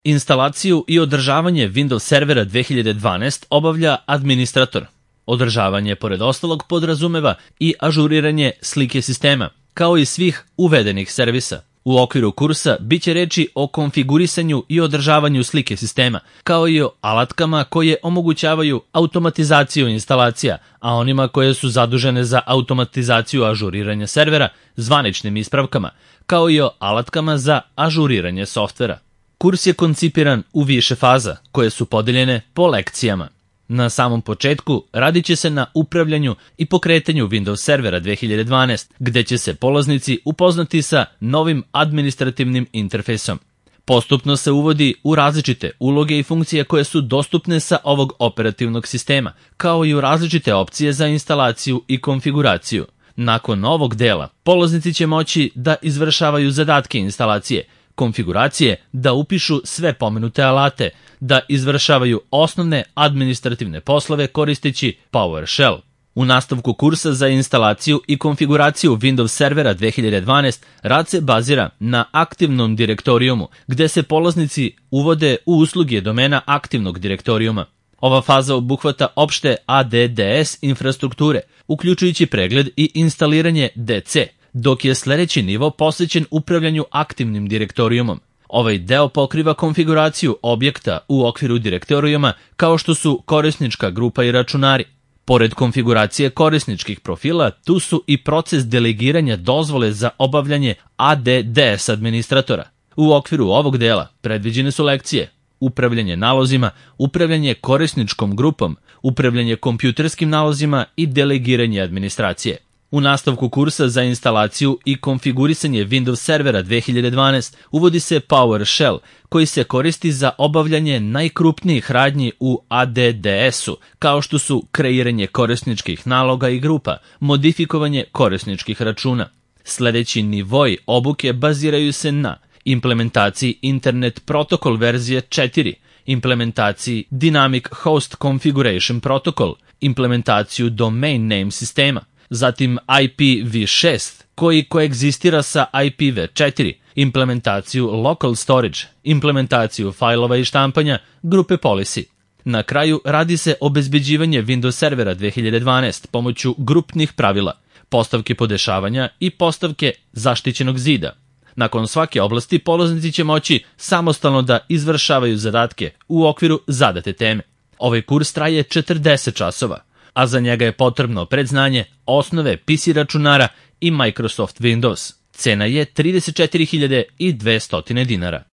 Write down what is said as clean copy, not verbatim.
Instalaciju i održavanje Windows servera 2012 obavlja administrator. Održavanje, pored ostalog, podrazumeva i ažuriranje slike sistema, kao i svih uvedenih servisa. U okviru kursa biće reči o konfigurisanju i održavanju slike sistema, kao i o alatkama koje omogućavaju automatizaciju instalacija, a onima koje su zadužene za automatizaciju ažuriranja servera zvaničnim ispravkama, kao i o alatkama za ažuriranje softvera. Kurs je koncipiran u više faza, koje su podeljene po lekcijama. Na samom početku radit će se na upravljanju i pokretanju Windows servera 2012, gde će se polaznici upoznati sa novim administrativnim interfejsom. Postupno se uvodi u različite uloge i funkcije koje su dostupne sa ovog operativnog sistema, kao i u različite opcije za instalaciju i konfiguraciju. Nakon ovog dela, polaznici će moći da izvršavaju zadatke instalacije, konfiguracije, da upišu sve pomenute alate, da izvršavaju osnovne administrativne poslove koristeći PowerShell. U nastavku kursa za instalaciju i konfiguraciju Windows servera 2012 rad se bazira na aktivnom direktorijumu, gde se polaznici uvode u usluge domena aktivnog direktorijuma. Ova faza obuhvata opšte ADDS infrastrukture, uključujući pregled i instaliranje DC, dok je sledeći nivo posvećen upravljanju aktivnim direktorijumom. Ovaj deo pokriva konfiguraciju objekta u okviru direktorijuma, kao što su korisnička grupa i računari. Pored konfiguracije korisničkih profila, tu su i proces delegiranja dozvole za obavljanje ADDS administratora. U okviru ovog dela predviđene su lekcije: upravljanje nalozima, upravljanje korisničkom grupom, upravljanje kompjuterskim nalozima i delegiranje administracije. U nastavku kursa za instalaciju i konfigurisanje Windows servera 2012 uvodi se PowerShell, koji se koristi za obavljanje najkrupnijih radnji u ADDS-u, kao što su kreiranje korisničkih naloga i grupa, modifikovanje korisničkih računa. Sledeći nivoi obuke baziraju se na implementaciji Internet Protocol verzije 4, implementaciji Dynamic Host Configuration Protocol, implementaciju Domain Name sistema, zatim IPv6 koji koegzistira sa IPv4, implementaciju Local Storage, implementaciju fajlova i štampanja, grupe policy. Na kraju radi se obezbeđivanje Windows servera 2012 pomoću grupnih pravila, postavke podešavanja i postavke zaštićenog zida. Nakon svake oblasti polaznici će moći samostalno da izvršavaju zadatke u okviru zadate teme. Ovaj kurs traje 40 časova, a za njega je potrebno predznanje osnove PC računara i Microsoft Windows. Cena je $34.200.